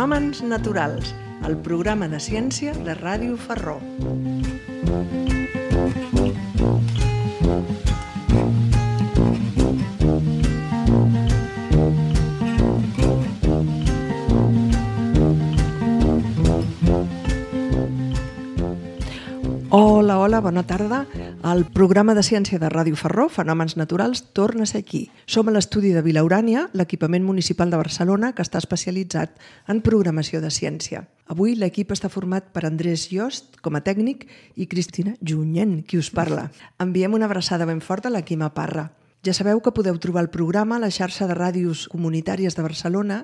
Fenòmens naturals, el programa de ciència de Ràdio Ferró. Hola, bona tarda. El programa de ciència de Ràdio Ferró, Fenòmens naturals, torna a ser aquí. Som a l'estudi de Vilaurània, l'equipament municipal de Barcelona, que està especialitzat en programació de ciència. Avui l'equip està format per Andrés Yost, com a tècnic, i Cristina Junyent, qui us parla. Enviem una abraçada ben forta a la Quima Parra. Ja sabeu que podeu trobar el programa a la xarxa de ràdios comunitàries de Barcelona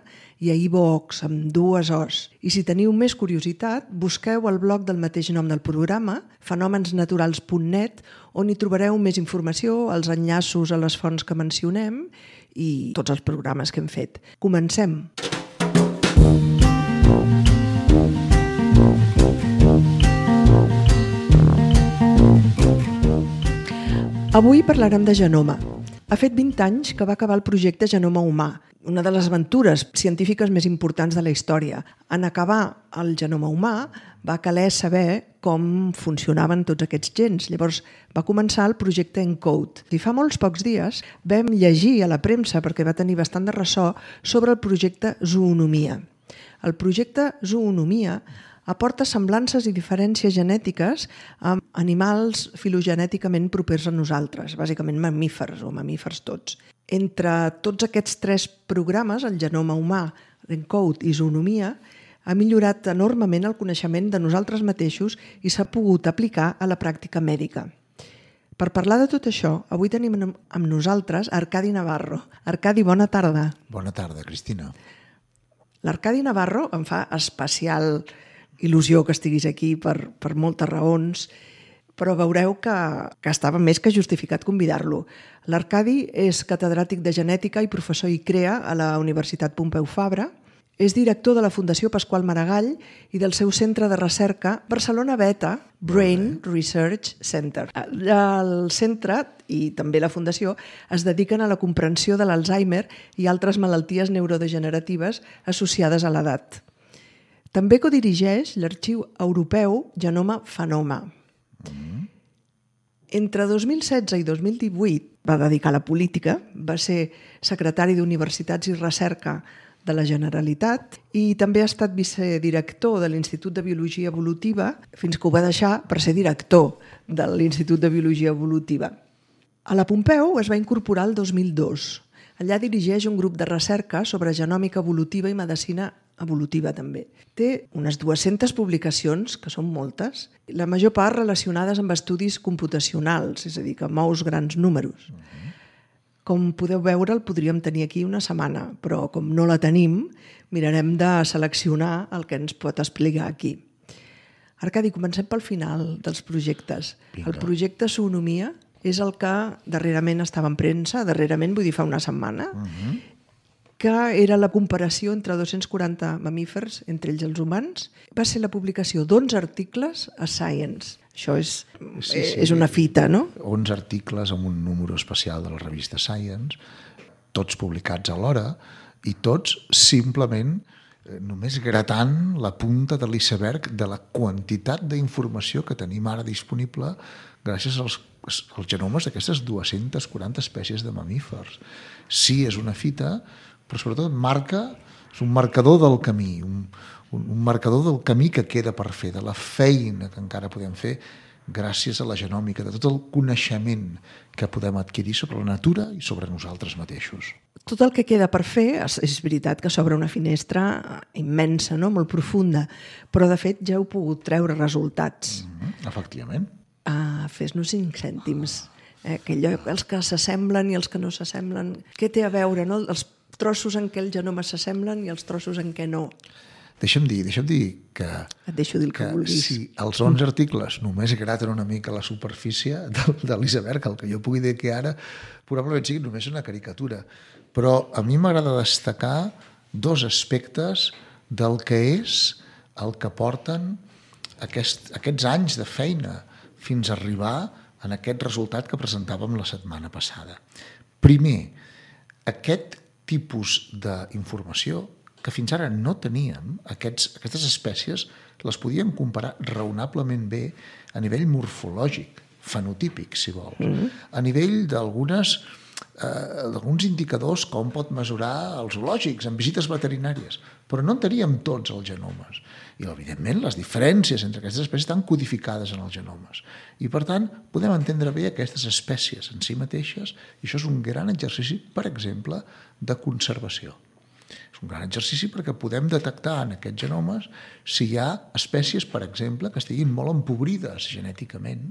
i a iVoox, amb 2 Os. I si teniu més curiositat, busqueu el blog del mateix nom del programa, fenomensnaturals.net, on hi trobareu més informació, els enllaços a les fonts que mencionem i tots els programes que hem fet. Comencem! Avui parlarem de genoma. Ha fet 20 anys que va acabar el projecte Genoma Humà, una de les aventures científiques més importants de la història. En acabar el genoma humà va caler saber com funcionaven tots aquests gens. Llavors va començar el projecte ENCODE. I fa molts pocs dies vam llegir a la premsa, perquè va tenir bastant de ressò, sobre el projecte Zoonomia. El projecte Zoonomia aporta semblances i diferències genètiques amb animals filogenèticament propers a nosaltres, bàsicament mamífers o mamífers tots. Entre tots aquests 3 programes, el genoma humà, ENCODE i Zoonomia, ha millorat enormement el coneixement de nosaltres mateixos i s'ha pogut aplicar a la pràctica mèdica. Per parlar de tot això, avui tenim amb nosaltres Arcadi Navarro. Arcadi, bona tarda. Bona tarda, Cristina. L'Arcadi Navarro em fa especial il·lusió que estiguis aquí per moltes raons, però veureu que estava més que justificat convidar-lo. L'Arcadi és catedràtic de genètica i professor ICREA a la Universitat Pompeu Fabra, és director de la Fundació Pasqual Maragall i del seu centre de recerca Barcelona Beta Brain Research Center. El centre i també la Fundació es dediquen a la comprensió de l'Alzheimer i altres malalties neurodegeneratives associades a l'edat. També codirigeix l'Arxiu Europeu Genoma Phenoma. Entre 2016 i 2018 va dedicar a la política, va ser secretari d'Universitats i Recerca de la Generalitat i també ha estat vicedirector de l'Institut de Biologia Evolutiva fins que ho va deixar per ser director de l'Institut de Biologia Evolutiva. A la Pompeu es va incorporar el 2002. Allà dirigeix un grup de recerca sobre genòmica evolutiva i medicina evolutiva també. Té unes 200 publicacions, que són moltes, la major part relacionades amb estudis computacionals, és a dir, que mous grans números. Com podeu veure, el podríem tenir aquí una setmana, però com no la tenim, mirarem de seleccionar el que ens pot explicar aquí. Arcadi, comencem pel final dels projectes. Vinga. El projecte Zoonomia és el que darrerament estava en premsa, darrerament vull dir fa una setmana, que era la comparació entre 240 mamífers, entre ells els humans. Va ser la publicació d'11 articles a Science. Això és una fita, no? 11 articles amb un número especial de la revista Science, tots publicats alhora, i tots simplement només gratant la punta de l'iceberg de la quantitat d'informació que tenim ara disponible gràcies als genomes d'aquestes 240 espècies de mamífers. Sí, és una fita, però sobretot és un marcador del camí, un marcador del camí que queda per fer, de la feina que encara podem fer gràcies a la genòmica, de tot el coneixement que podem adquirir sobre la natura i sobre nosaltres mateixos. Tot el que queda per fer, és veritat que s'obre una finestra immensa, no? Molt profunda, però de fet ja heu pogut treure resultats. Efectivament. Fes-nos 5 cèntims. Els que s'assemblen i els que no s'assemblen. Què té a veure, no? Els trossos en què el genoma s'assemblen i els trossos en què no. Deixa'm dir que... Et deixo dir el que vulguis. Si els 11 articles només graten una mica la superfície de l'iceberg, el que jo pugui dir que ara probablement sigui només una caricatura. Però a mi m'agrada destacar 2 aspectes del que és el que porten aquests anys de feina fins a arribar en aquest resultat que presentàvem la setmana passada. Primer, aquest tipus d'informació que fins ara no teníem, aquestes espècies les podíem comparar raonablement bé a nivell morfològic, fenotípic, si vols, a nivell d'alguns indicadors com pot mesurar els zoològics en visites veterinàries, però no en teníem tots els genomes. I, evidentment, les diferències entre aquestes espècies estan codificades en els genomes. I, per tant, podem entendre bé aquestes espècies en si mateixes i això és un gran exercici, per exemple, de conservació. És un gran exercici perquè podem detectar en aquests genomes si hi ha espècies, per exemple, que estiguin molt empobrides genèticament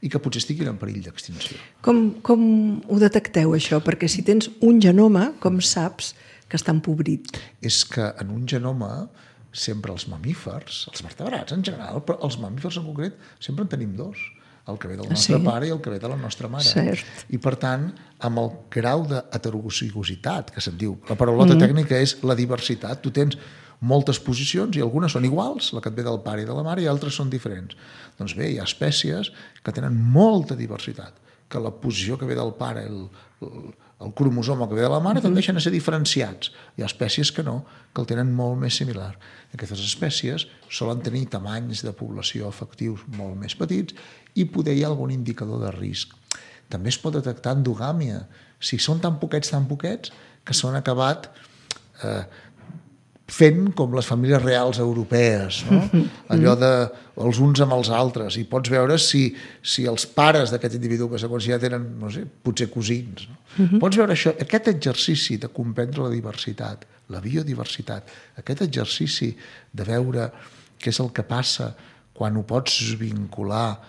i que potser estiguin en perill d'extinció. Com ho detecteu, això? Perquè si tens un genoma, com saps que està empobrit? És que en un genoma sempre els mamífers, els vertebrats en general, però els mamífers en concret sempre en tenim dos, el que ve del nostre pare i el que ve de la nostra mare. Cert. I per tant, amb el grau d'heterozigositat, que se'n diu, la paraulota tècnica és la diversitat, tu tens moltes posicions i algunes són iguals, la que et ve del pare i de la mare, i altres són diferents. Doncs bé, hi ha espècies que tenen molta diversitat, que la posició que ve del pare, el cromosoma que ve de la mare, tendeixen a ser diferenciats. Hi ha espècies que no, que el tenen molt més similar. Aquestes espècies solen tenir tamanys de població efectius molt més petits i poder hi ha algun indicador de risc. També es pot detectar endogàmia. Si són tan poquets, que s'han acabat fent com les famílies reals europees, no? Allò de els uns amb els altres, i pots veure si els pares d'aquest individu que segons ja tenen, no sé, potser cosins. No? Pots veure això, aquest exercici de comprendre la diversitat, la biodiversitat, aquest exercici de veure què és el que passa quan ho pots vincular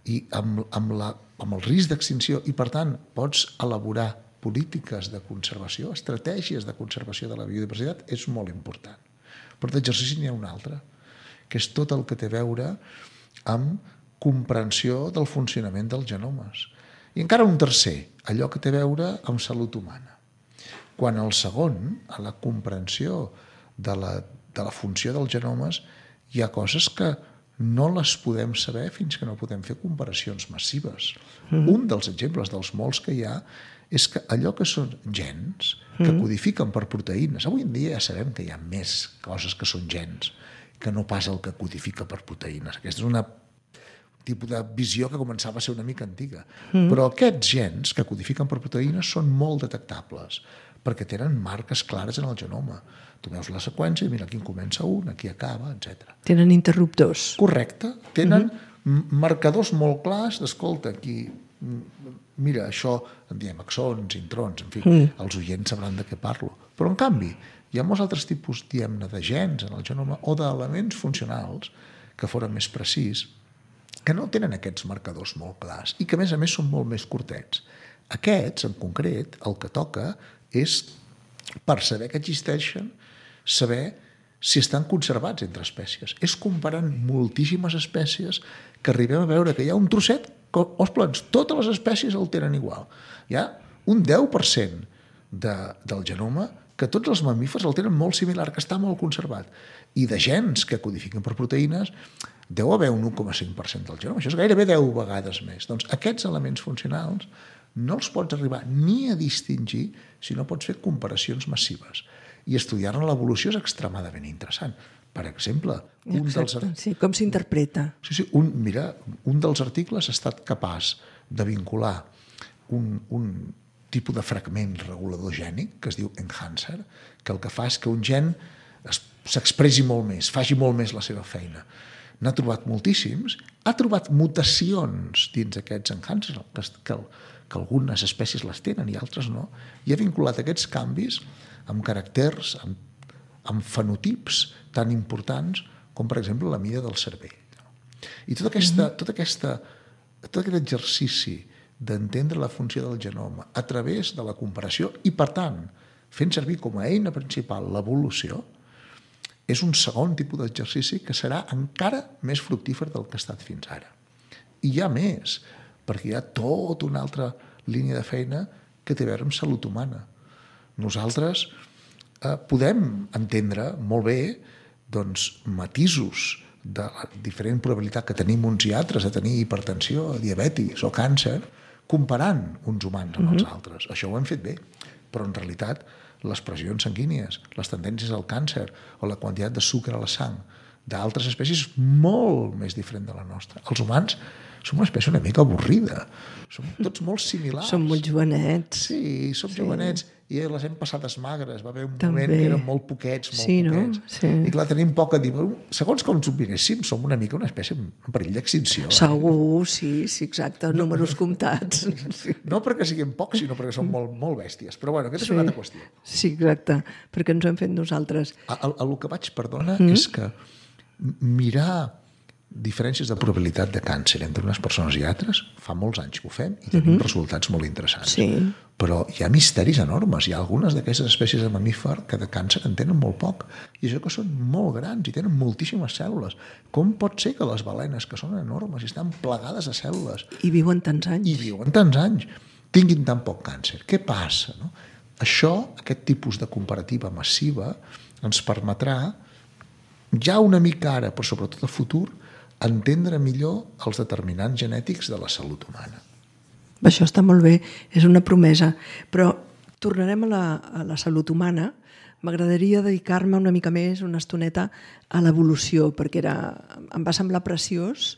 i amb el risc d'extinció i, per tant, pots elaborar polítiques de conservació, estratègies de conservació de la biodiversitat, és molt important. Però d'exercici n'hi ha un altre, que és tot el que té a veure amb comprensió del funcionament dels genomes. I encara un tercer, allò que té a veure amb salut humana. Quan el segon, a la comprensió de la funció dels genomes, hi ha coses que no les podem saber fins que no podem fer comparacions massives. Un dels exemples dels molts que hi ha és que allò que són gens que codifiquen per proteïnes, avui en dia ja sabem que hi ha més coses que són gens que no pas el que codifica per proteïnes. Aquesta és un tipus de visió que començava a ser una mica antiga. Però aquests gens que codifiquen per proteïnes són molt detectables perquè tenen marques clares en el genoma. Tu veus la seqüència i mira, aquí comença un, aquí acaba, etc. Tenen interruptors. Correcte. Tenen marcadors molt clars d'escolta, aquí mira, això en diem axons, introns, en fi, els oients sabran de què parlo. Però, en canvi, hi ha molts altres tipus, diguem-ne, de gens en el genoma o d'elements funcionals que foren més precís, que no tenen aquests marcadors molt clars i que, a més, són molt més curtets. Aquests, en concret, el que toca és, per saber que existeixen, saber si estan conservats entre espècies. És comparant moltíssimes espècies que arribem a veure que hi ha un trosset que, ostres, totes les espècies el tenen igual. Hi ha un 10% del genoma que tots els mamífers el tenen molt similar, que està molt conservat. I de gens que codifiquen per proteïnes deu haver un 1,5% del genoma. Això és gairebé 10 vegades més. Doncs aquests elements funcionals no els pots arribar ni a distingir si no pots fer comparacions massives. I estudiar-ne l'evolució és extremadament interessant. Per exemple, com s'interpreta? Mira, un dels articles ha estat capaç de vincular un tipus de fragment regulador gènic que es diu enhancer, que el que fa és que un gen s'expressi molt més, faci molt més la seva feina. N'ha trobat moltíssims, ha trobat mutacions dins aquests enhancers, que algunes espècies les tenen i altres no, i ha vinculat aquests canvis amb caràcters, amb fenotips tan importants com, per exemple, la mida del cervell. I tot aquest exercici d'entendre la funció del genoma a través de la comparació i, per tant, fent servir com a eina principal l'evolució, és un segon tipus d'exercici que serà encara més fructífer del que ha estat fins ara. I hi ha més, perquè hi ha tota una altra línia de feina que té a veure amb salut humana. Nosaltres podem entendre molt bé matisos de la diferent probabilitat que tenim uns i altres de tenir hipertensió, diabetis o càncer, comparant uns humans amb els altres. Això ho hem fet bé, però en realitat les pressions sanguínies, les tendències al càncer o la quantitat de sucre a la sang d'altres espècies molt més diferent de la nostra. Els humans som una espècie una mica avorrida. Som tots molt similars. Som molt jovenets. Sí, som jovenets i les hem passades magres. Va haver un moment que eren molt poquets, poquets. Sí. I clar, tenim poc a dir. Segons com ens ho miréssim, som una mica una espècie en perill d'extinció. Segur, sí, exacte, números comptats. No perquè siguem pocs, sinó perquè som molt bèsties. Però bueno, aquesta és una altra qüestió. Sí, exacte, perquè ens ho hem fet nosaltres. El que vaig, perdona, és que mirar diferències de probabilitat de càncer entre unes persones i altres, fa molts anys que ho fem i tenim resultats molt interessants. Sí. Però hi ha misteris enormes. Hi ha algunes d'aquestes espècies de mamífer que de càncer en tenen molt poc. I això que són molt grans i tenen moltíssimes cèl·lules. Com pot ser que les balenes, que són enormes i estan plegades de cèl·lules... I viuen tants anys. Tinguin tan poc càncer? Què passa? No? Això, aquest tipus de comparativa massiva, ens permetrà, ja una mica ara, però sobretot a futur, entendre millor els determinants genètics de la salut humana. Això està molt bé, és una promesa. Però tornarem a la salut humana. M'agradaria dedicar-me una mica més, una estoneta, a l'evolució, perquè em va semblar preciós.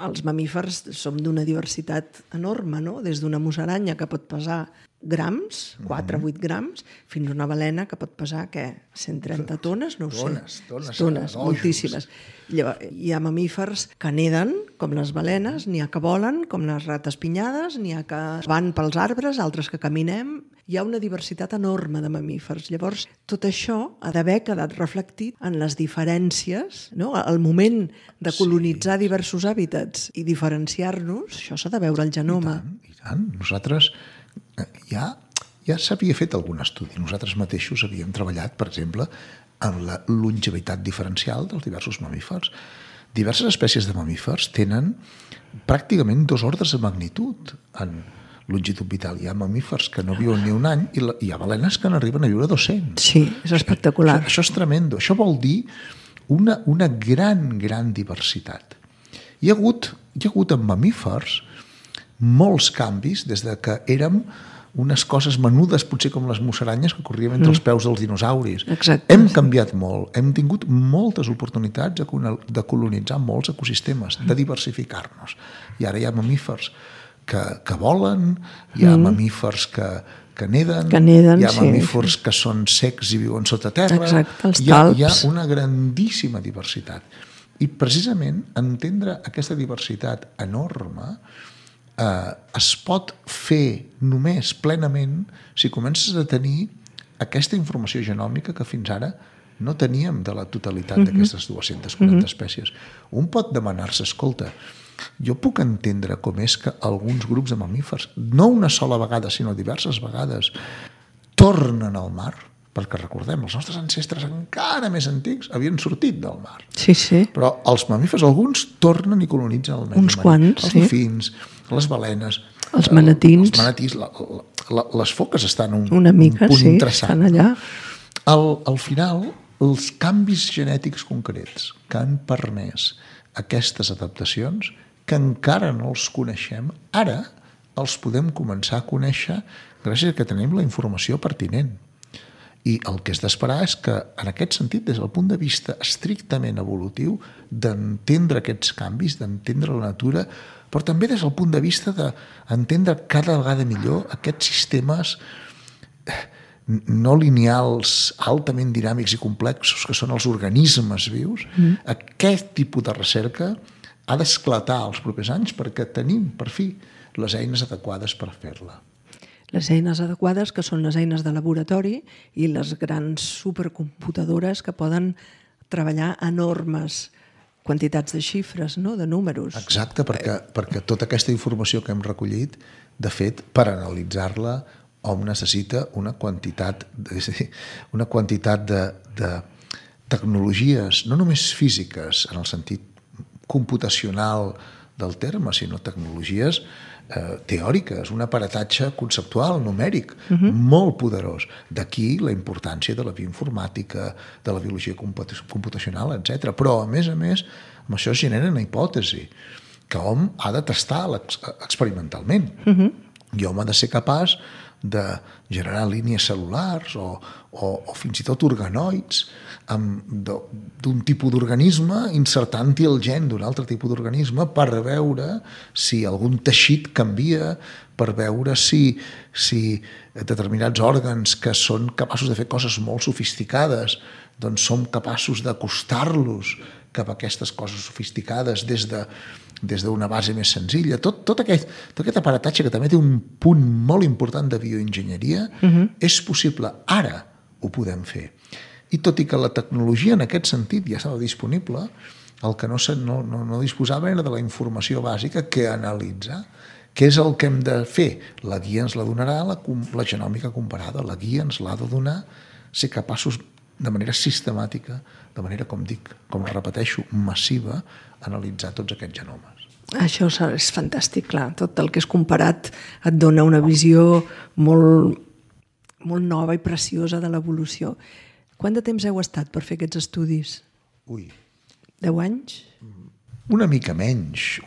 Els mamífers som d'una diversitat enorme, no? Des d'una musaranya que pot pesar grams, 4 o 8 grams, fins a una balena que pot pesar, 130 tones? No ho sé. Tones, moltíssimes. Llavors, hi ha mamífers que neden, com les balenes, n'hi ha que volen, com les rates pinyades, n'hi ha que van pels arbres, altres que caminem. Hi ha una diversitat enorme de mamífers. Llavors, tot això ha d'haver quedat reflectit en les diferències, no? Al moment de colonitzar diversos hàbitats i diferenciar-nos, això s'ha de veure al genoma. I tant. Nosaltres ja s'havia fet algun estudi. Nosaltres mateixos havíem treballat, per exemple, en la longevitat diferencial dels diversos mamífers. Diverses espècies de mamífers tenen pràcticament 2 ordres de magnitud en longitud vital. Hi ha mamífers que no viuen ni un any i hi ha balenes que n'arriben a viure 200. Sí, és espectacular. Això és tremendo. Això vol dir una gran diversitat. Hi ha hagut en mamífers molts canvis des de que érem unes coses menudes, potser com les musaranyes que corrien entre els peus dels dinosauris. Exacte. Hem canviat molt, hem tingut moltes oportunitats de colonitzar molts ecosistemes, de diversificar-nos. I ara hi ha mamífers que volen, hi ha mamífers que neden, hi ha mamífers que són secs i viuen sota terra. Exacte, els talps. Hi ha una grandíssima diversitat. I precisament entendre aquesta diversitat enorme es pot fer només plenament si comences a tenir aquesta informació genòmica que fins ara no teníem de la totalitat d'aquestes 240 espècies. Un pot demanar-se, escolta, jo puc entendre com és que alguns grups de mamífers, no una sola vegada, sinó diverses vegades, tornen al mar, perquè recordem, els nostres ancestres encara més antics havien sortit del mar. Sí, sí. Però els mamífers, alguns tornen i colonitzen el medi marí. Uns quants, els dofins, les balenes, els manatins, les foques estan un una mica, punt sí, interessant. estan allà. Al final, els canvis genètics concrets que han permès aquestes adaptacions, que encara no els coneixem, ara els podem començar a conèixer gràcies a que tenim la informació pertinent. I el que és d'esperar és que, en aquest sentit, des del punt de vista estrictament evolutiu, d'entendre aquests canvis, d'entendre la natura, però també des del punt de vista d'entendre cada vegada millor aquests sistemes no lineals, altament dinàmics i complexos, que són els organismes vius. Aquest tipus de recerca ha d'esclatar els propers anys perquè tenim, per fi, les eines adequades per fer-la. Les eines adequades, que són les eines de laboratori i les grans supercomputadores que poden treballar enormes quantitats de xifres, no? De números. Exacte, perquè tota aquesta informació que hem recollit, de fet, per analitzar-la, hom necessita una quantitat de tecnologies, no només físiques, en el sentit computacional del terme, sinó tecnologies teòriques, un aparatatge conceptual, numèric, molt poderós. D'aquí la importància de la bioinformàtica, de la biologia computacional, etc. Però, a més, amb això es genera una hipòtesi que hom ha de testar experimentalment. I hom ha de ser capaç de generar línies cel·lulars o fins i tot organoids d'un tipus d'organisme insertant-hi el gen d'un altre tipus d'organisme per veure si algun teixit canvia, per veure si determinats òrgans que són capaços de fer coses molt sofisticades doncs som capaços d'acostar-los cap a aquestes coses sofisticades des d'una base més senzilla. Tot aquest aparatatge que també té un punt molt important de bioenginyeria és possible. Ara ho podem fer. I tot i que la tecnologia en aquest sentit ja estava disponible, el que no disposava era de la informació bàsica que analitzar. Què és el que hem de fer? La guia ens la donarà la genòmica comparada. La guia ens l'ha de donar ser capaços de manera sistemàtica, de manera, com repeteixo, massiva, analitzar tots aquests genomes. Això és fantàstic, clar. Tot el que és comparat et dona una visió molt, molt nova i preciosa de l'evolució. Quant de temps heu estat per fer aquests estudis? 10 anys? Una mica menys,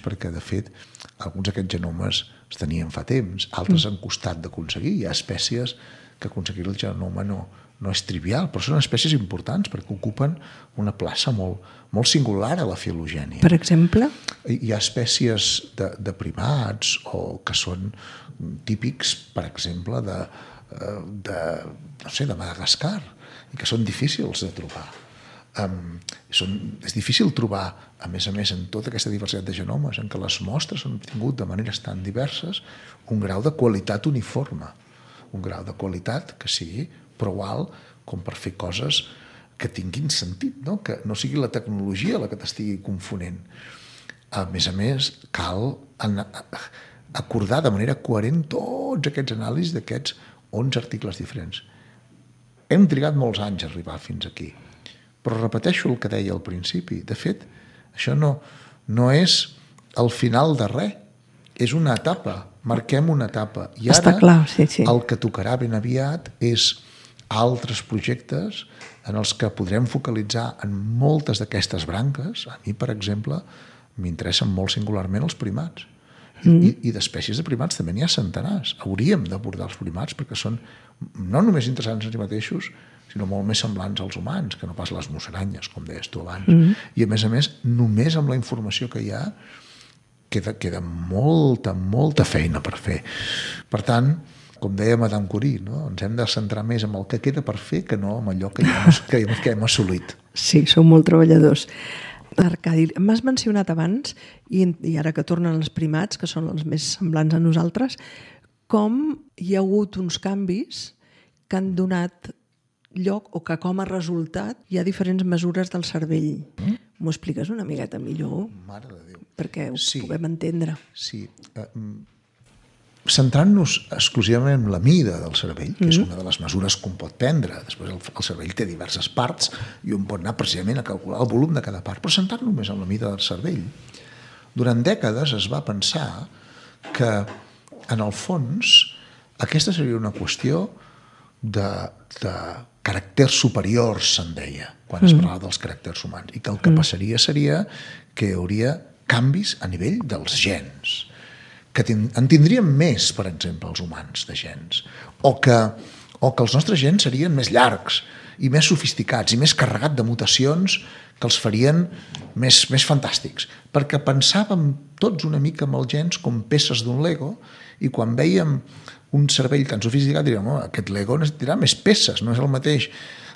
perquè, de fet, alguns d'aquests genomes es tenien fa temps, altres han costat d'aconseguir. Hi ha espècies que aconseguir el genoma no és trivial, però són espècies importants perquè ocupen una plaça molt singular a la filogènia. Per exemple? Hi ha espècies de primats o que són típics, per exemple, de Madagascar, i que són difícils de trobar. És difícil trobar, a més, en tota aquesta diversitat de genomes, en què les mostres han tingut de maneres tan diverses un grau de qualitat uniforme, un grau de qualitat que sigui prou alt com per fer coses que tinguin sentit, no? Que no sigui la tecnologia la que t'estigui confonent. A més, cal acordar de manera coherent tots aquests anàlisis d'aquests 11 articles diferents. Hem trigat molts anys a arribar fins aquí, però repeteixo el que deia al principi. De fet, això no és el final de res, és una etapa, marquem una etapa. I ara el que tocarà ben aviat és altres projectes en els que podrem focalitzar en moltes d'aquestes branques. A mi, per exemple, m'interessen molt singularment els primats. I d'espècies de primats també n'hi ha centenars. Hauríem d'abordar els primats perquè són no només interessants en si mateixos, sinó molt més semblants als humans, que no pas les musaranyes, com deies tu abans. I, a més, només amb la informació que hi ha queda molta feina per fer. Per tant, com deia Madame Curie, no? Ens hem de centrar més en el que queda per fer que no en allò que hem assolit. Sí, sou molt treballadors. Arcadi, m'has mencionat abans, i ara que tornen els primats, que són els més semblants a nosaltres, com hi ha hagut uns canvis que han donat lloc o que com a resultat hi ha diferents mesures del cervell. M'ho expliques una miqueta millor? Mare de Déu. Perquè ho puguem entendre. Sí. Centrant-nos exclusivament en la mida del cervell, que és una de les mesures que un pot prendre. Després el cervell té diverses parts i un pot anar precisament a calcular el volum de cada part, però centrant només en la mida del cervell. Durant dècades es va pensar que, en el fons, aquesta seria una qüestió de caràcters superiors, se'n deia, quan es parlava dels caràcters humans, i que el que passaria seria que hi hauria canvis a nivell dels gens, que en tindríem més, per exemple, els humans de gens, o que els nostres gens serien més llargs i més sofisticats i més carregats de mutacions que els farien més fantàstics, perquè pensàvem tots una mica amb els gens com peces d'un Lego, i quan vèiem un cervell tan sofisticat diríem, aquest Lego necessitarà més peces, no és el mateix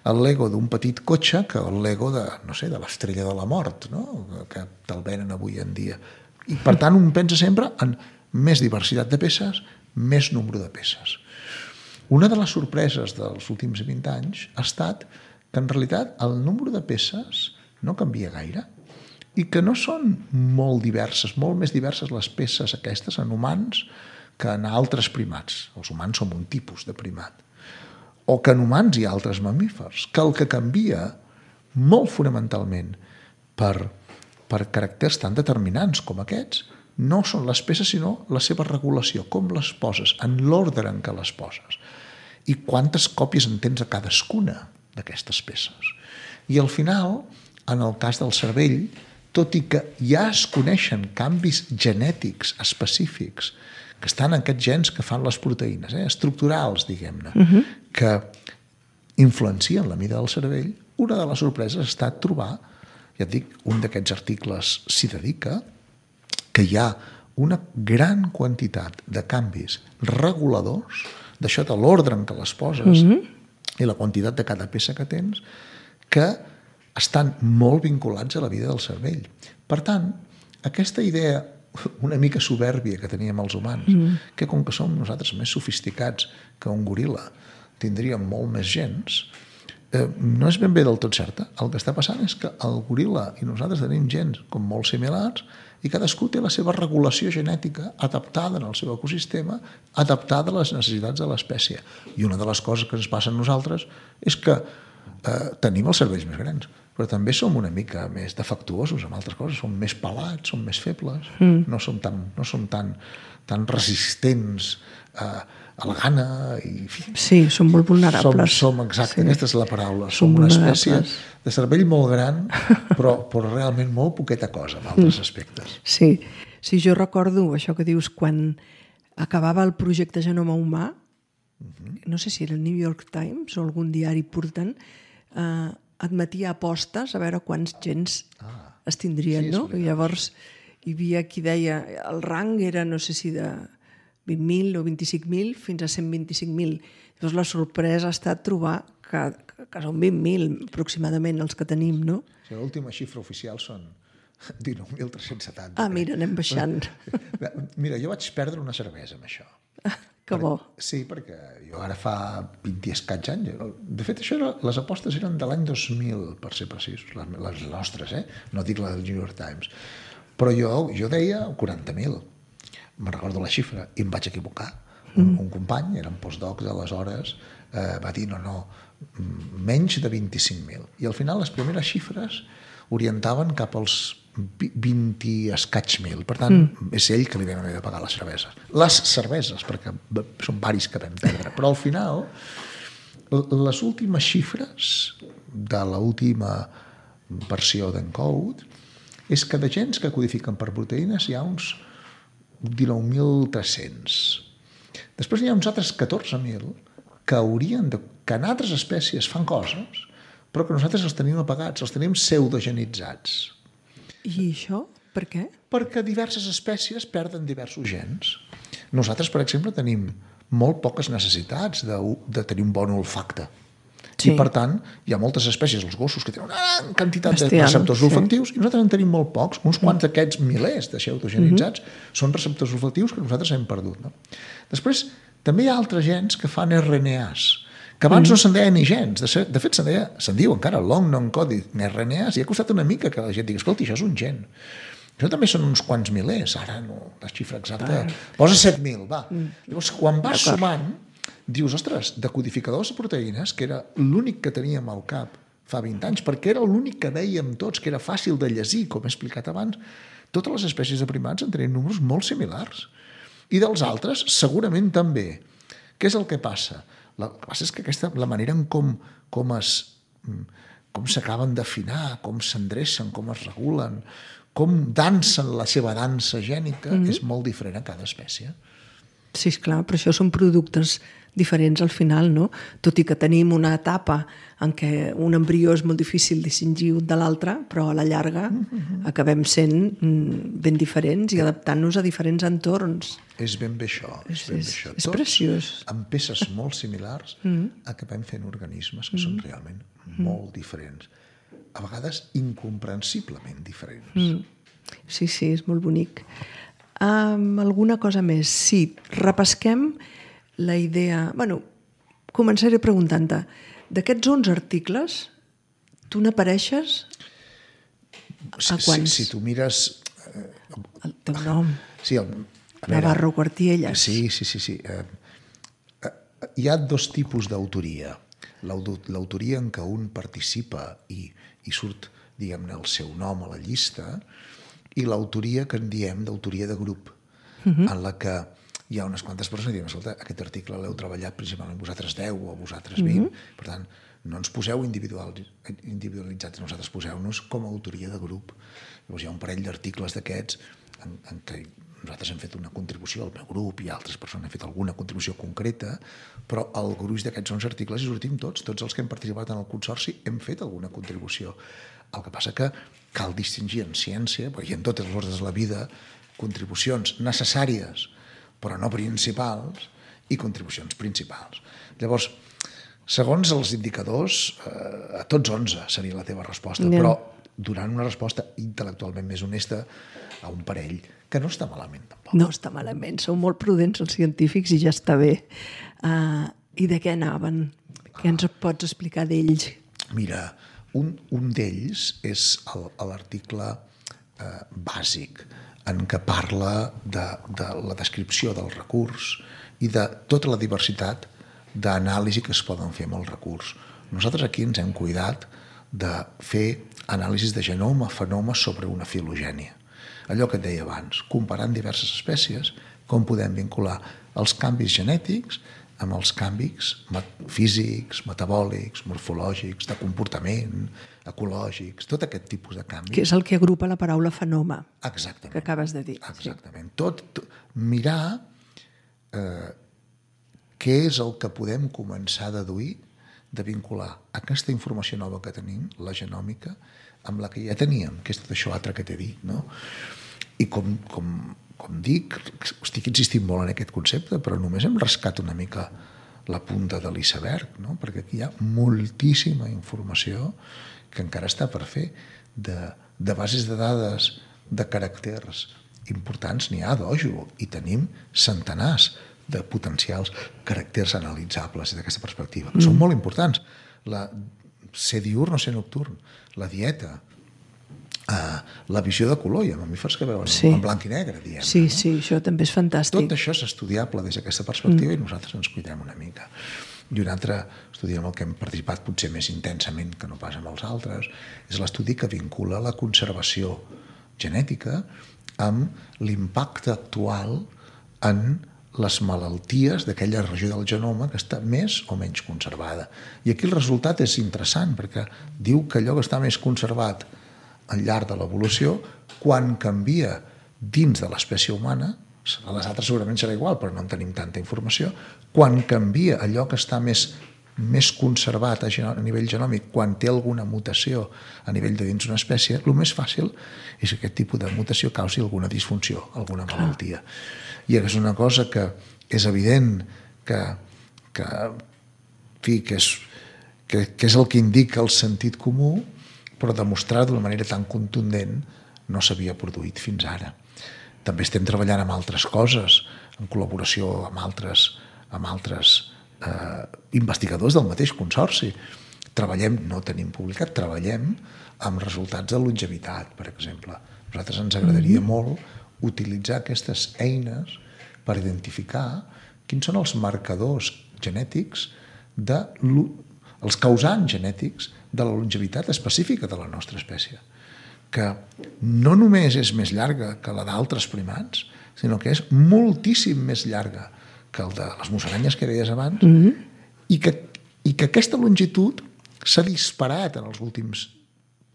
el Lego d'un petit cotxe que el Lego de l'estrella de la mort, no? Que te'l venen avui en dia. I per tant un pensa sempre en més diversitat de peces, més nombre de peces. Una de les sorpreses dels últims 20 anys ha estat que en realitat el nombre de peces no canvia gaire i que no són molt diverses, molt més diverses les peces aquestes en humans que en altres primats. Els humans som un tipus de primat. O que en humans hi ha altres mamífers, que el que canvia molt fonamentalment per caràcters tan determinants com aquests no són les peces, sinó la seva regulació, com les poses, en l'ordre en què les poses, i quantes còpies en tens a cadascuna d'aquestes peces. I al final, en el cas del cervell, tot i que ja es coneixen canvis genètics específics que estan aquests gens que fan les proteïnes, estructurals, diguem-ne, que influencien la mida del cervell. Una de les sorpreses ha estat trobar, ja et dic, un d'aquests articles s'hi dedica, que hi ha una gran quantitat de canvis reguladors, d'això de l'ordre en què les poses i la quantitat de cada peça que tens, que estan molt vinculats a la vida del cervell. Per tant, aquesta idea una mica soberbia que teníem els humans, que com que som nosaltres més sofisticats que un goril·la, tindríem molt més gens, no és ben bé del tot certa. El que està passant és que el goril·la i nosaltres tenim gens com molt similars i cadascú té la seva regulació genètica adaptada en el seu ecosistema, adaptada a les necessitats de l'espècie. I una de les coses que ens passa a nosaltres és que tenim els cervells més grans, però també som una mica més defectuosos amb altres coses, som més pelats, som més febles, no som tan resistents a la gana. Sí, som molt vulnerables. Exacte, aquesta és la paraula. Som una espècie de cervell molt gran, però realment molt poqueta cosa en altres aspectes. Sí, jo recordo això que dius, quan acabava el projecte Genoma Humà, no sé si era el New York Times o algun diari important, admetia apostes a veure quants gens es tindrien, no? I llavors hi havia qui deia el rang era, no sé si de 20.000 o 25.000 fins a 125.000. Llavors la sorpresa ha estat trobar que són 20.000 aproximadament els que tenim, no? L'última xifra oficial són 19.370. Mira, anem baixant. Mira, jo vaig perdre una cervesa amb això. Que bo. Sí, perquè jo ara fa 20 i escaig anys. De fet, les apostes eren de l'any 2000, per ser precisos, les nostres, no dic la del New York Times. Però jo deia 40.000. Me'n recordo la xifra i em vaig equivocar. Un company, era un postdoc d'aleshores, va dir no, menys de 25.000. I al final les primeres xifres orientaven cap als 20 i escaig mil. Per tant, és ell que li vam haver de pagar les cerveses. Les cerveses, perquè són varis que vam perdre. Però al final, les últimes xifres de l'última versió d'Encode és que de gens que codifiquen per proteïnes hi ha uns 19.300. Després hi ha uns altres 14.000 que que en altres espècies fan coses, però que nosaltres els tenim apagats, els tenim pseudogenitzats. I això? Per què? Perquè diverses espècies perden diversos gens. Nosaltres, per exemple, tenim molt poques necessitats de tenir un bon olfacte. Sí. I, per tant, hi ha moltes espècies, els gossos, que tenen una gran quantitat de receptors olfactius i nosaltres en tenim molt pocs. Uns quants d'aquests milers de pseudogenitzats són receptors olfactius que nosaltres hem perdut. No? Després, també hi ha altres gens que fan RNAs, que abans no se'n deia ni gens. De fet, se'n diu encara long non-coded RNAs, i ha costat una mica que la gent digui, escolti, això és un gen. Això també són uns quants milers, ara no, la xifra exacta, posa 7.000, va. Llavors, quan vas sumant, dius, ostres, de codificadors de proteïnes, que era l'únic que teníem al cap fa 20 anys, perquè era l'únic que dèiem tots, que era fàcil de llegir, com he explicat abans, totes les espècies de primats en tenien números molt similars. I dels altres, segurament també. Què és el que passa? El que passa és que la manera en com s'acaben d'afinar, com s'endrecen, com es regulen, com dansen la seva dansa gènica, és molt diferent a cada espècie. Sí, esclar, però això són productes diferents al final, no? Tot i que tenim una etapa en què un embrió és molt difícil distingir un de l'altre, però a la llarga acabem sent ben diferents i adaptant-nos a diferents entorns. És ben bé això. És preciós. Tots, amb peces molt similars, acabem fent organismes que són realment molt diferents. A vegades incomprensiblement diferents. Sí, és molt bonic. Alguna cosa més? Sí, repesquem la idea... Bueno, començaré preguntant-te. D'aquests 11 articles, tu n'apareixes a quants? Si tu mires... El teu nom. Sí, Navarro Cuartiellas. Sí. Hi ha dos tipus d'autoria. L'autoria en què un participa i surt, diguem-ne, el seu nom a la llista, i l'autoria que en diem d'autoria de grup, en la que hi ha unes quantes persones que diuen, escolta, aquest article l'heu treballat principalment vosaltres 10 o vosaltres 20, per tant, no ens poseu individualitzats, nosaltres poseu-nos com a autoria de grup. Llavors hi ha un parell d'articles d'aquests en què nosaltres hem fet una contribució, el meu grup i altres persones han fet alguna contribució concreta, però el gruix d'aquests 11 articles hi sortim tots els que hem participat en el consorci hem fet alguna contribució. El que passa que cal distingir en ciència, i en totes les ordres de la vida, contribucions necessàries però no principals i contribucions principals. Llavors, segons els indicadors, a tots 11 seria la teva resposta, però donant una resposta intel·lectualment més honesta a un parell que no està malament tampoc. No està malament, sou molt prudents els científics i ja està bé. I de què anaven? Què ens pots explicar d'ells? Mira, un d'ells és l'article bàsic en què parla de la descripció del recurs i de tota la diversitat d'anàlisi que es poden fer amb el recurs. Nosaltres aquí ens hem cuidat de fer anàlisis de genoma, fenoma sobre una filogènia. Allò que et deia abans, comparant diverses espècies, com podem vincular els canvis genètics amb els canvis físics, metabòlics, morfològics, de comportament, ecològics, tot aquest tipus de canvis. Que és el que agrupa la paraula fenoma. Exactament. Que acabes de dir. Exactament. Mirar què és el que podem començar a deduir de vincular aquesta informació nova que tenim, la genòmica, amb la que ja teníem, que és tot això altre que t'he dit, no? I com dic, estic insistint molt en aquest concepte, però només hem rascat una mica la punta de l'iceberg, no? Perquè aquí hi ha moltíssima informació que encara està per fer, de bases de dades, de caràcters importants, n'hi ha d'ojo, i tenim centenars de potencials caràcters analitzables d'aquesta perspectiva, que són molt importants. Ser diürn o ser nocturn, la dieta, la visió de color, hi ha mamífers que veuen en blanc i negre, diem. Sí, això també és fantàstic. Tot això és estudiable des d'aquesta perspectiva i nosaltres ens cuidem una mica. I un altre estudi en el que hem participat potser més intensament que no pas amb els altres és l'estudi que vincula la conservació genètica amb l'impacte actual en les malalties d'aquella regió del genoma que està més o menys conservada. I aquí el resultat és interessant perquè diu que allò que està més conservat al llarg de l'evolució, quan canvia dins de l'espècie humana, a les altres segurament serà igual, però no en tenim tanta informació, quan canvia allò que està més conservat a nivell genòmic, quan té alguna mutació a nivell de dins una espècie, el més fàcil és que aquest tipus de mutació causi alguna disfunció, alguna malaltia. I és una cosa que és evident que és el que indica el sentit comú, però demostrar d'una manera tan contundent no s'havia produït fins ara. També estem treballant amb altres coses, en col·laboració amb altres investigadors del mateix consorci. No tenim publicat, treballem amb resultats de longevitat, per exemple. A nosaltres ens agradaria molt utilitzar aquestes eines per identificar quins són els marcadors genètics, els causants genètics de la longevitat específica de la nostra espècie, que no només és més llarga que la d'altres primats, sinó que és moltíssim més llarga que el de les musaranyes que deies abans, i que aquesta longitud s'ha disparat en els últims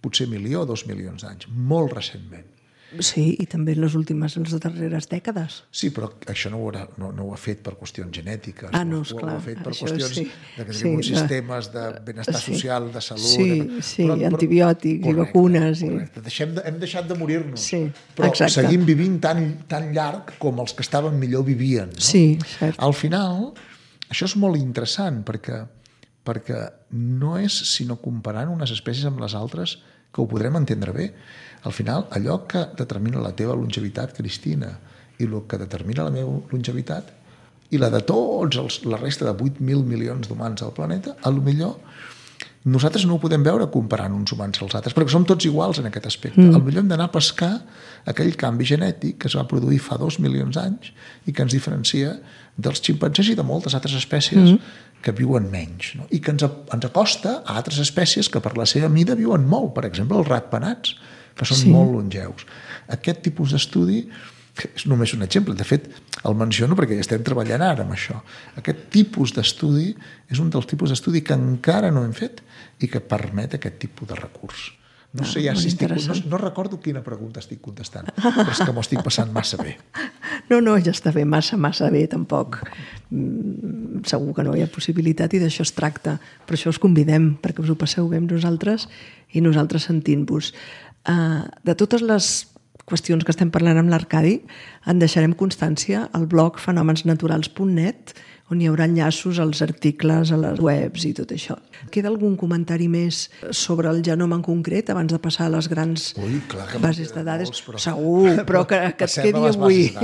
potser 1 milió o 2 milions d'anys, molt recentment. Sí, i també en les darreres dècades. Sí, però això no ho ha fet per qüestions genètiques, no, esclar, ho ha fet per qüestions de que tenim uns sistemes de benestar social, de salut... Sí, antibiòtics i vacunes. Hem deixat de morir-nos, però seguim vivint tan llarg com els que estaven millor vivien. Sí, cert. Al final, això és molt interessant perquè no és sinó comparant unes espècies amb les altres que ho podrem entendre bé. Al final, allò que determina la teva longevitat, Cristina, i el que determina la meva longevitat, i la de la resta de 8.000 milions d'humans al planeta, potser nosaltres no ho podem veure comparant uns humans als altres, perquè som tots iguals en aquest aspecte. Potser hem d'anar a pescar aquell canvi genètic que es va produir fa 2 milions d'anys i que ens diferencia dels ximpanzés i de moltes altres espècies que viuen menys, no? I que ens acosta a altres espècies que per la seva mida viuen molt, per exemple els ratpenats, que són molt longeus. Aquest tipus d'estudi és només un exemple, de fet el menciono perquè ja estem treballant ara amb això. Aquest tipus d'estudi és un dels tipus d'estudi que encara no hem fet i que permet aquest tipus de recurs. No sé ja si no recordo quina pregunta estic contestant, però és que m'ho estic passant massa bé. No, ja està bé, massa bé, tampoc. Segur que no hi ha possibilitat i d'això es tracta. Per això us convidem, perquè us ho passeu bé amb nosaltres i nosaltres sentint-vos. De totes les qüestions que estem parlant amb l'Arcadi, en deixarem constància al blog fenomensnaturals.net, on hi haurà enllaços als articles, a les webs i tot això. Queda algun comentari més sobre el genoma en concret abans de passar a les grans bases de dades? Segur, però que et quedi avui.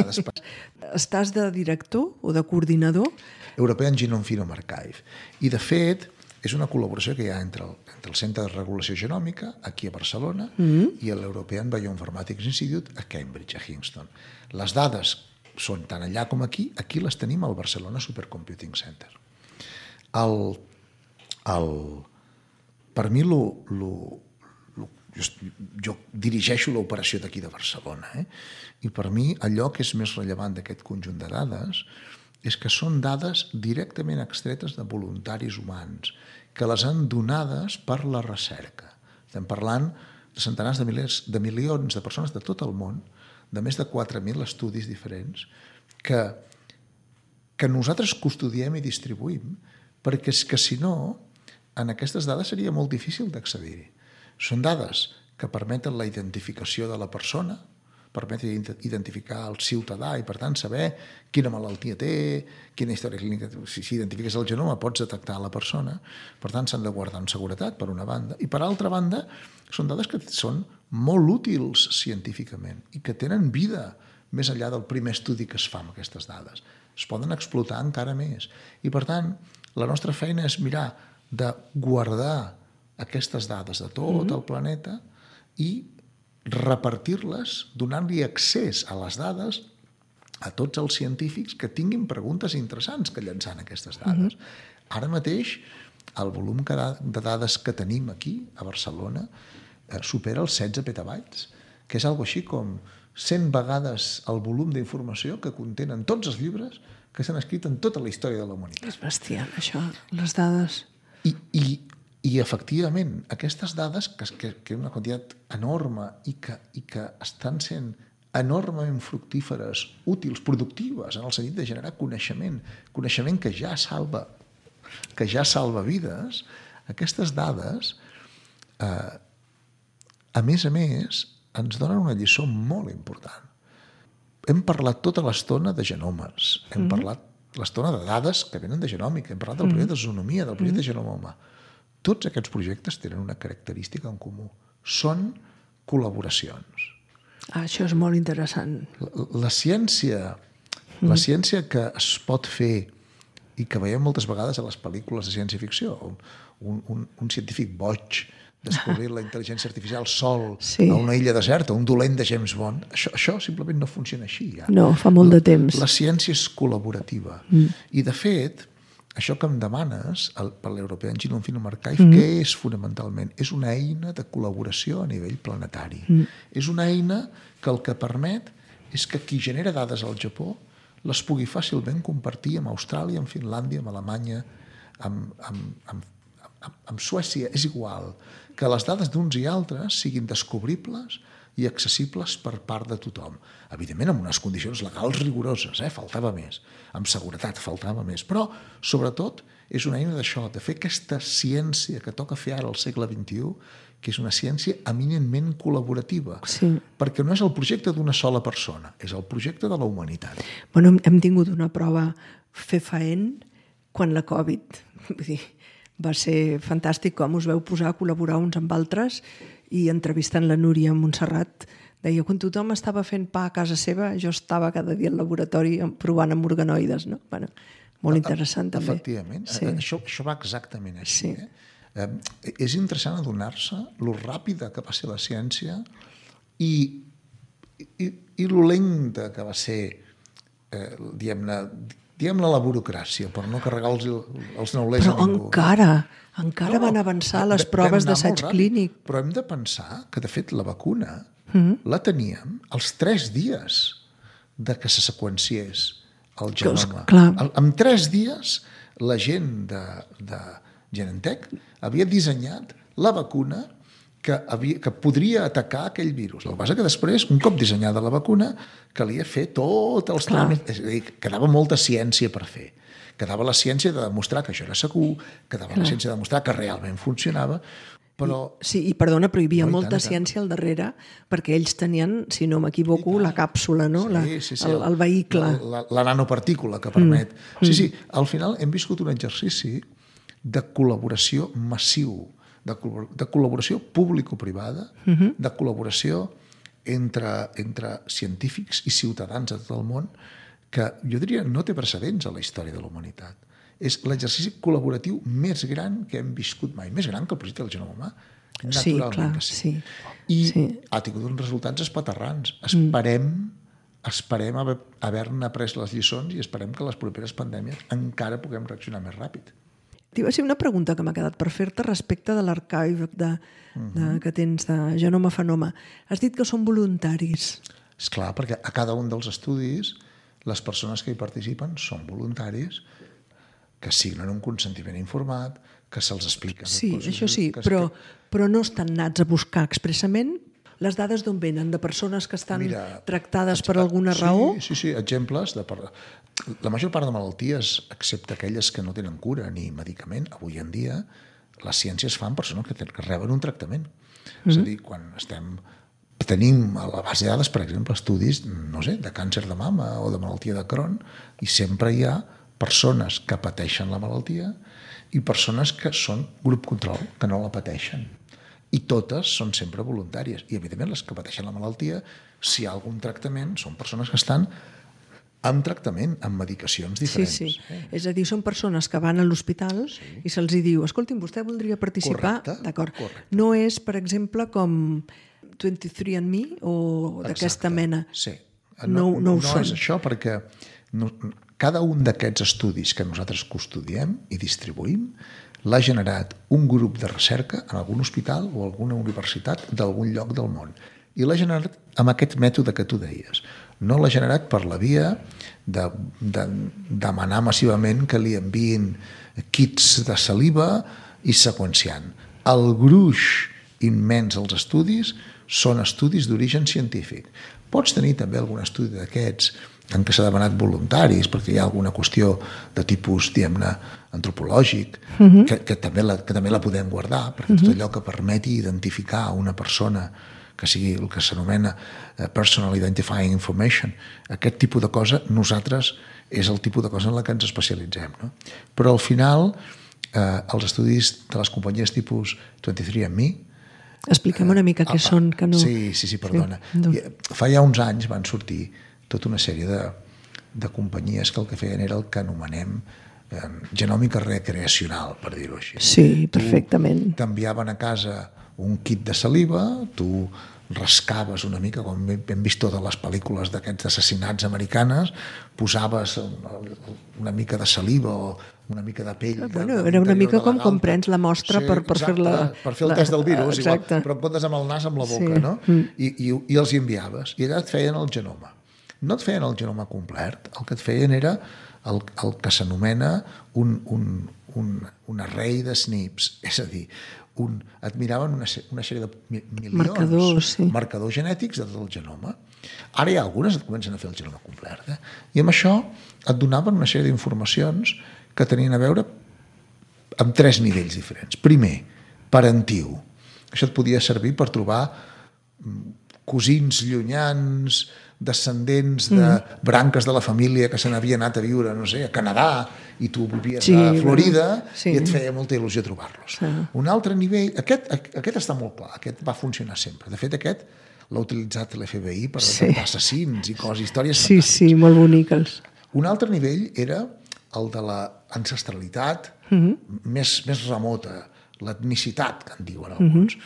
Estàs de director o de coordinador? European Genome Phenome Archive. I, de fet, és una col·laboració que hi ha entre el Centre de Regulació Genòmica, aquí a Barcelona, i l'European Bioinformatics Institute, a Cambridge, a Kingston. Les dades són tant allà com aquí les tenim al Barcelona Supercomputing Center. Per mi, jo dirigeixo l'operació d'aquí de Barcelona, i per mi allò que és més rellevant d'aquest conjunt de dades és que són dades directament extretes de voluntaris humans, que les han donades per la recerca. Estem parlant de centenars de milions de persones de tot el món, de més de 4.000 estudis diferents, que nosaltres custodiem i distribuïm, perquè és que, si no, en aquestes dades seria molt difícil d'accedir-hi. Són dades que permeten la identificació de la persona, permeten identificar el ciutadà i, per tant, saber quina malaltia té, quina història clínica. Si identifiques el genoma, pots detectar la persona. Per tant, s'han de guardar en seguretat, per una banda. I, per altra banda, són dades que són molt útils científicament i que tenen vida més enllà del primer estudi que es fa amb aquestes dades. Es poden explotar encara més. I, per tant, la nostra feina és mirar de guardar aquestes dades de tot el planeta i repartir-les, donant-li accés a les dades a tots els científics que tinguin preguntes interessants que llançant aquestes dades. Ara mateix, el volum de dades que tenim aquí, a Barcelona, supera els 16 petabytes, que és algo així com 100 vegades el volum d'informació que contenen tots els llibres que s'han escrit en tota la història de la humanitat. És bestial, això, les dades. I efectivament, aquestes dades, que és una quantitat enorme i que estan sent enormement fructíferes, útils, productives, en el sentit de generar coneixement que ja salva vides, aquestes dades, a més, ens donen una lliçó molt important. Hem parlat tota l'estona de genomes, hem parlat l'estona de dades que venen de genòmica, hem parlat del projecte de zoonomia, del projecte de genoma humà. Tots aquests projectes tenen una característica en comú. Són col·laboracions. Això és molt interessant. La ciència que es pot fer i que veiem moltes vegades a les pel·lícules de ciència-ficció, un científic boig descobrir la intel·ligència artificial sol a una illa deserta, un dolent de James Bond, això simplement no funciona així. Ja. No, fa molt de temps. La ciència és col·laborativa. I, de fet, això que em demanes per l'European Genome Phenome Archive, què és fonamentalment? És una eina de col·laboració a nivell planetari. És una eina que el que permet és que qui genera dades al Japó les pugui fàcilment compartir amb Austràlia, amb Finlàndia, amb Alemanya, amb Suècia. És igual que les dades d'uns i altres siguin descobribles i accessibles per part de tothom. Evidentment, amb unes condicions legals rigoroses, faltava més. Amb seguretat faltava més. Però, sobretot, és una eina d'això, de fer aquesta ciència que toca fer ara al segle XXI, que és una ciència eminentment col·laborativa. Sí. Perquè no és el projecte d'una sola persona, és el projecte de la humanitat. Bueno, hem tingut una prova fefaent quan la Covid. Vull dir, va ser fantàstic com us veu posar a col·laborar uns amb altres i entrevistant la Núria Montserrat deia, quan tothom estava fent pa a casa seva, jo estava cada dia al laboratori provant amb organoides. No? Bueno, molt interessant també. Efectivament, sí. Això va exactament així. Sí. És interessant adonar-se lo ràpida que va ser la ciència i lo lenta que va ser, diguem-ne la burocràcia, per no carregar els neulers a ningú. Però encara van avançar les proves d'assaig clínic. Però hem de pensar que, de fet, la vacuna la teníem als 3 dies de que se seqüenciés el genoma. En 3 dies, la gent de Genentech havia dissenyat la vacuna que podria atacar aquell virus. El que passa que després, un cop dissenyada la vacuna, calia fer tots els tràmits. És a dir, quedava molta ciència per fer. Quedava la ciència de demostrar que això era segur, quedava la ciència de demostrar que realment funcionava, però... Sí, i perdona, però hi havia molta ciència al darrere, perquè ells tenien, si no m'equivoco, la càpsula, no? El vehicle. La nanopartícula que permet... Sí, al final hem viscut un exercici de col·laboració massiu, de col·laboració público-privada, de col·laboració entre científics i ciutadans de tot el món, que jo diria no té precedents a la història de la humanitat. És l'exercici col·laboratiu més gran que hem viscut mai, més gran que el projecte del genoma humà, naturalment que sí. I ha tingut uns resultats espaterrants. Esperem haver-ne après les lliçons i esperem que les properes pandèmies encara puguem reaccionar més ràpid. T'hi va ser una pregunta que m'ha quedat per fer-te respecte de l'arxiu que tens de Genoma Fenoma. Has dit que són voluntaris. Esclar, perquè a cada un dels estudis les persones que hi participen són voluntaris que signen un consentiment informat, que se'ls explica. Sí, això sí, però no estan nats a buscar expressament. Les dades d'on venen? De persones que estan tractades per alguna raó? Sí, exemples. La major part de malalties, excepte aquelles que no tenen cura ni medicament, avui en dia, les ciències fan persones que reben un tractament. És a dir, quan tenim a la base de dades, per exemple, estudis, no sé, de càncer de mama o de malaltia de Crohn, i sempre hi ha persones que pateixen la malaltia i persones que són grup control, que no la pateixen. I totes són sempre voluntàries. I, evidentment, les que pateixen la malaltia, si hi ha algun tractament, són persones que estan amb tractament, amb medicacions diferents. Sí. És a dir, són persones que van a l'hospital i se'ls diu, escolti'm, vostè voldria participar? D'acord. No és, per exemple, com 23andMe o d'aquesta mena. Sí. No ho són. No és això, perquè cada un d'aquests estudis que nosaltres custodiem i distribuïm l'ha generat un grup de recerca en algun hospital o alguna universitat d'algun lloc del món. I l'ha generat amb aquest mètode que tu deies. No l'ha generat per la via de demanar massivament que li enviïn kits de saliva i seqüenciant. El gruix immens dels estudis són estudis d'origen científic. Pots tenir també algun estudi d'aquests en què s'ha demanat voluntaris, perquè hi ha alguna qüestió de tipus, diguem-ne, antropològic, que també la podem guardar, perquè tot allò que permeti identificar una persona que sigui el que s'anomena personal identifying information, aquest tipus de cosa, nosaltres és el tipus de cosa en la que ens especialitzem. No? Però al final, els estudis de les companyies tipus 23andMe, expliquem una mica què són. Que no... Sí, perdona. Fa ja uns anys van sortir tota una sèrie de companyies que el que feien era el que anomenem genòmica recreacional, per dir-ho així. Sí, perfectament. T'enviaven a casa un kit de saliva, tu rascaves una mica, com hem vist totes les pel·lícules d'aquests assassinats americanes, posaves una mica de saliva o una mica de pell. Era una mica com prens la mostra per fer-la... Per fer el test del virus, igual, però en comptes amb el nas, amb la boca, no? I els enviaves, i allà et feien el genoma. No et feien el genoma complet, el que et feien era el que s'anomena un array de SNPs, és a dir, et miraven una sèrie de milions marcadors genètics de tot el genoma. Ara hi ha algunes que comencen a fer el genoma complet, i amb això et donaven una sèrie d'informacions que tenien a veure amb 3 nivells diferents. Primer, parentiu. Això et podia servir per trobar cosins llunyans, descendents de branques de la família que se n'havien anat a viure, no sé, a Canadà, i tu vivies a Florida, i et feia molta il·lusió trobar-los. Un altre nivell, aquest està molt clar, aquest va funcionar sempre. De fet, aquest l'ha utilitzat l'FBI per detectar assassins i coses, històries fantàstiques. Sí, molt boniques. Un altre nivell era el de l'ancestralitat més remota, l'etnicitat, que en diuen alguns.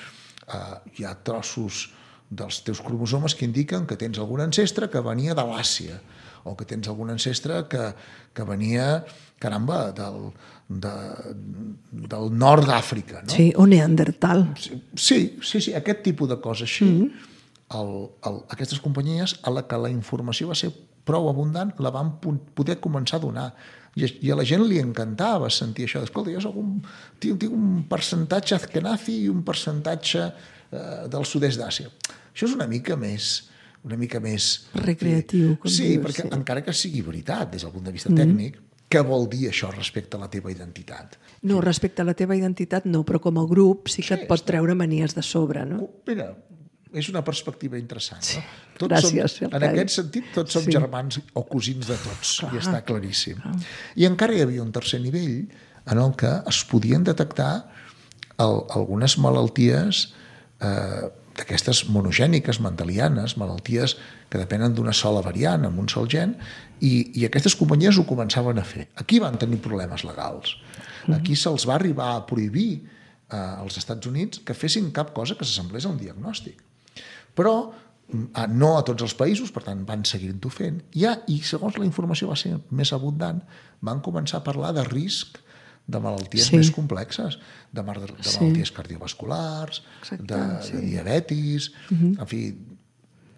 Hi ha trossos dels teus cromosomes que indiquen que tens algun ancestre que venia de l'Àsia, o que tens algun ancestre que venia, caramba, del nord d'Àfrica. No? Sí, o Neandertal. Sí, aquest tipus de coses així. Aquestes companyies, a la que la informació va ser prou abundant, la van poder començar a donar. I a la gent li encantava sentir això. Escolta, jo tinc un percentatge azkenazi i un percentatge del sud-est d'Àsia. Això és una mica més recreatiu, com sí, dius, perquè sí. encara que sigui veritat des del punt de vista tècnic, què vol dir això respecte a la teva identitat? No, respecte a la teva identitat no, però com a grup sí que et pot treure manies de sobre, no? Mira, és una perspectiva interessant. No? Gràcies. En aquest sentit, tots som germans o cosins de tots, i està claríssim. I encara hi havia un tercer nivell en el que es podien detectar algunes malalties d'aquestes monogèniques, mendelianes, malalties que depenen d'una sola variant, amb un sol gen, i aquestes companyies ho començaven a fer. Aquí van tenir problemes legals. Aquí se'ls va arribar a prohibir als Estats Units que fessin cap cosa que s'assemblés a un diagnòstic. Però no a tots els països, per tant van seguint-ho fent. I segons la informació va ser més abundant, van començar a parlar de risc de malalties més complexes, de malalties cardiovasculars, de diabetis, en fi.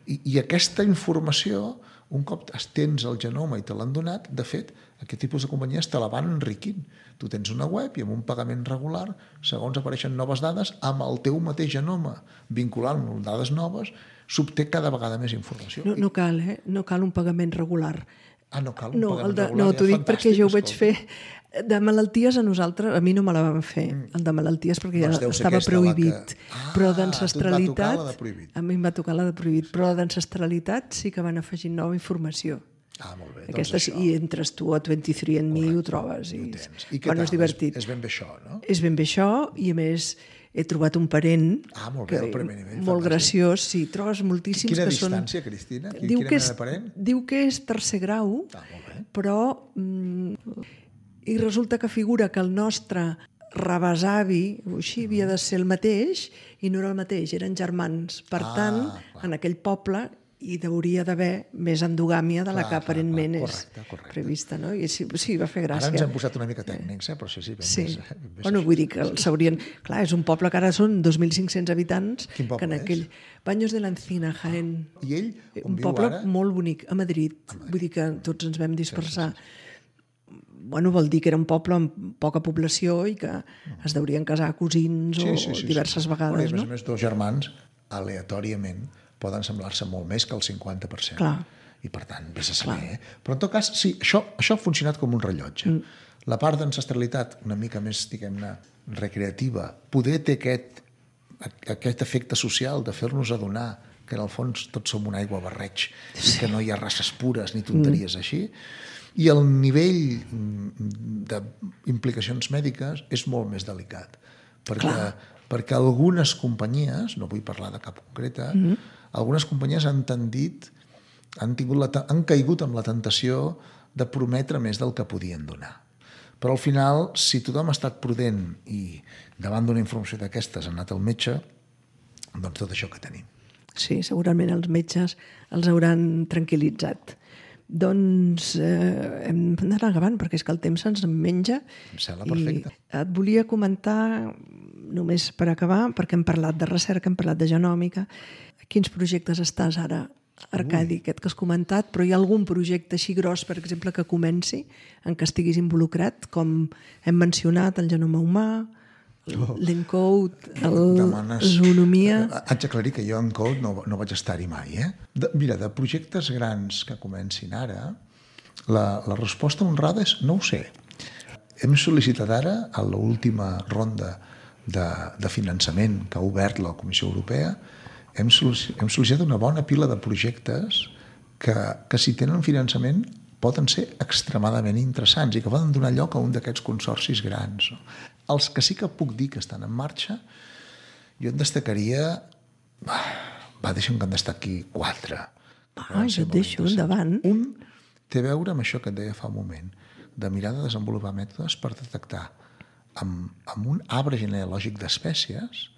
I aquesta informació, un cop tens el genoma i te l'han donat, de fet, aquest tipus de companyies te la van enriquint. Tu tens una web i amb un pagament regular, segons apareixen noves dades, amb el teu mateix genoma, vinculant-lo amb dades noves, s'obté cada vegada més informació. No cal, no cal un pagament regular. No cal un pagament regular. No, t'ho dic perquè jo ho vaig fer. De malalties a nosaltres, a mi no me la van fer, el de malalties, perquè ja estava prohibit. Però d'ancestralitat, a mi em va tocar la de prohibit, però d'ancestralitat sí que van afegir nova informació. Molt bé. Aquestes, i entres tu a 23andMe i ho trobes. I què tal? És divertit. És ben bé això, no? És ben bé això, i a més he trobat un parent molt bé, el primer nivell, molt graciós. Sí, trobes moltíssims que són... Quina distància, Cristina? Quina mena de parent? Diu que és tercer grau, molt bé. però... I resulta que figura que el nostre rebesavi, així, havia de ser el mateix, i no era el mateix, eren germans. Per tant, en aquell poble hi hauria d'haver més endogàmia de la que aparentment és prevista. No? I sí, va fer gràcia. Ara ens hem posat una mica tècnics, però sí, Bueno, vull dir que s'haurien... Clar, és un poble que ara són 2.500 habitants. Quin poble és? Baños de la Encina, Jaén. I ell on viu ara? Un poble molt bonic, a Madrid. Vull dir que tots ens vam dispersar. Bueno, vol dir que era un poble amb poca població i que es deurien casar cosins o diverses vegades. A més, dos germans, aleatòriament, poden semblar-se molt més que el 50%. Clar. I, per tant, vés a saber. Però, en tot cas, sí, això ha funcionat com un rellotge. La part d'ancestralitat, una mica més, diguem-ne, recreativa, poder té aquest efecte social de fer-nos adonar que, en el fons, tots som una aigua barreig i que no hi ha races pures ni tonteries així. I el nivell d'implicacions mèdiques és molt més delicat. Perquè algunes companyies, no vull parlar de cap concreta, algunes companyies han caigut amb la tentació de prometre més del que podien donar. Però al final, si tothom ha estat prudent i davant d'una informació d'aquestes ha anat al metge, doncs tot això que tenim. Sí, segurament els metges els hauran tranquil·litzat. Doncs hem d'anar acabant, perquè és que el temps se'ns menja. Em sembla perfecte. I et volia comentar, només per acabar, perquè hem parlat de recerca, hem parlat de genòmica. Quins projectes estàs ara, Arcadi, aquest que has comentat, però hi ha algun projecte així gros, per exemple, que comenci, en què estiguis involucrat, com hem mencionat, el genoma humà, l'ENCODE, la zoonomia... Haig d'aclarir que jo ENCODE no vaig estar-hi mai. Mira, de projectes grans que comencin ara, la resposta honrada és no ho sé. Hem sol·licitat ara, a l'última ronda de finançament que ha obert la Comissió Europea, hem sol·licitat una bona pila de projectes que si tenen finançament poden ser extremadament interessants i que poden donar lloc a un d'aquests consorcis grans. Els que sí que puc dir que estan en marxa, jo en destacaria... deixa'm que en destaqui 4. Jo et deixo, endavant. Un té a veure amb això que et deia fa un moment, de mirar de desenvolupar mètodes per detectar amb un arbre genealògic d'espècies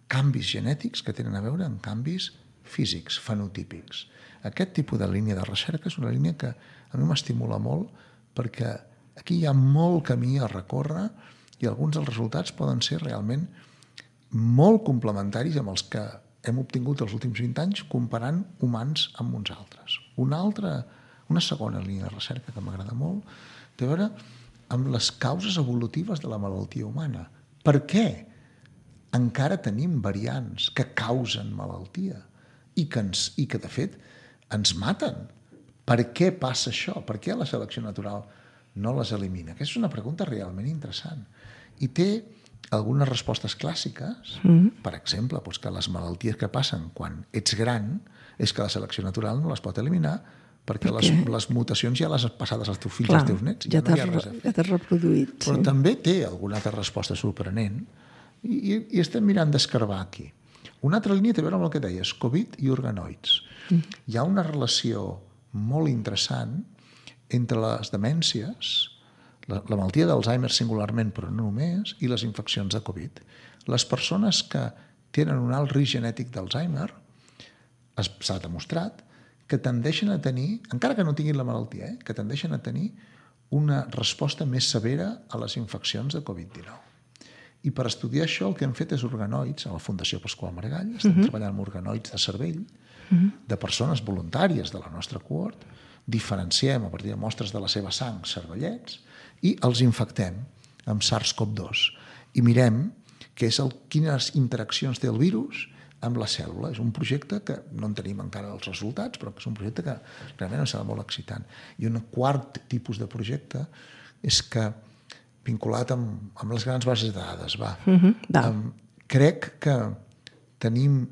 canvis genètics que tenen a veure amb canvis físics, fenotípics. Aquest tipus de línia de recerca és una línia que a mi m'estimula molt perquè aquí hi ha molt camí a recórrer i alguns dels resultats poden ser realment molt complementaris amb els que hem obtingut els últims 20 anys comparant humans amb uns altres. Una segona línia de recerca que m'agrada molt té a veure amb les causes evolutives de la malaltia humana. Per què encara tenim variants que causen malaltia i que de fet ens maten. Per què passa això? Per què la selecció natural no les elimina? Aquesta és una pregunta realment interessant. I té algunes respostes clàssiques, per exemple, doncs que les malalties que passen quan ets gran és que la selecció natural no les pot eliminar perquè les mutacions ja les has passades als teus fills i als teus nets. Ja t'has reproduït. Però també té alguna altra resposta sorprenent i estem mirant d'escarbar aquí. Una altra línia té a veure amb el que deies, Covid i organoids. Hi ha una relació molt interessant entre les demències, la malaltia d'Alzheimer singularment, però no només, i les infeccions de Covid. Les persones que tenen un alt risc genètic d'Alzheimer, s'ha demostrat, que tendeixen a tenir, encara que no tinguin la malaltia, que tendeixen a tenir una resposta més severa a les infeccions de Covid-19. I per estudiar això el que hem fet és organoids, a la Fundació Pasqual Maragall, estem treballant amb organoids de cervell, de persones voluntàries de la nostra cohort, diferenciem a partir de mostres de la seva sang cervellets i els infectem amb SARS-CoV-2 i mirem quines interaccions té el virus amb la cèl·lula. És un projecte que no en tenim encara els resultats, però que és un projecte que realment em sembla molt excitant. I un quart tipus de projecte és que, vinculat amb les grans bases de dades, crec que tenim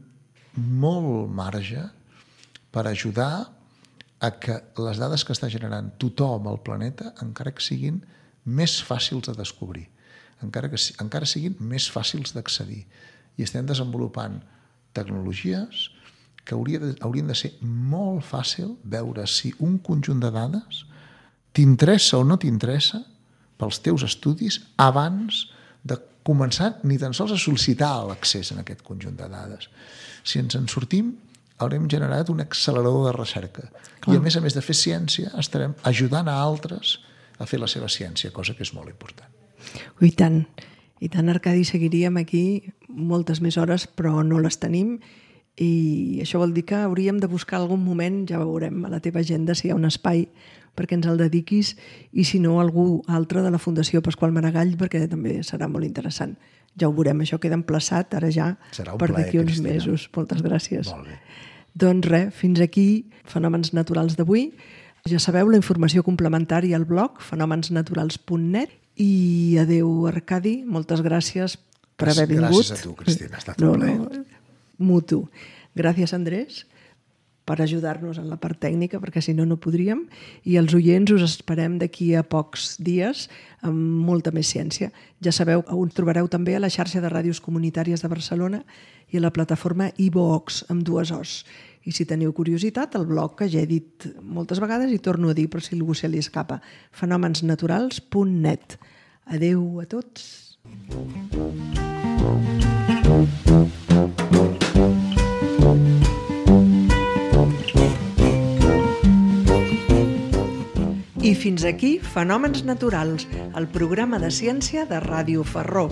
molt marge per ajudar a que les dades que està generant tothom al planeta encara que siguin més fàcils de descobrir, encara siguin més fàcils d'accedir. I estem desenvolupant tecnologies que haurien de ser molt fàcil veure si un conjunt de dades t'interessa o no t'interessa pels teus estudis abans de començar ni tan sols a sol·licitar l'accés a aquest conjunt de dades. Si ens en sortim, haurem generat un accelerador de recerca. I a més de fer ciència, estarem ajudant a altres a fer la seva ciència, cosa que és molt important. I tant, Arcadi, seguiríem aquí moltes més hores, però no les tenim, i això vol dir que hauríem de buscar algun moment, ja veurem a la teva agenda si hi ha un espai perquè ens el dediquis, i si no, algú altre de la Fundació Pasqual Maragall, perquè també serà molt interessant. Ja ho veurem, això queda emplaçat ara ja per d'aquí uns mesos. Moltes gràcies. Molt bé. Doncs res, fins aquí Fenòmens Naturals d'avui. Ja sabeu, la informació complementària al blog fenomensnaturals.net. I adeu, Arcadi, moltes gràcies per haver vingut. Gràcies a tu, Cristina, ha estat un plaer. Mutu. Gràcies, Andrés, per ajudar-nos en la part tècnica, perquè si no, no podríem. I els oients us esperem d'aquí a pocs dies amb molta més ciència. Ja sabeu, us trobareu també a la xarxa de ràdios comunitàries de Barcelona i a la plataforma iVoox, amb 2 Os. I si teniu curiositat, el blog que ja he dit moltes vegades i torno a dir per si algú se li escapa, fenomensnaturals.net. Adeu a tots. I fins aquí Fenòmens Naturals, el programa de ciència de Ràdio Ferró.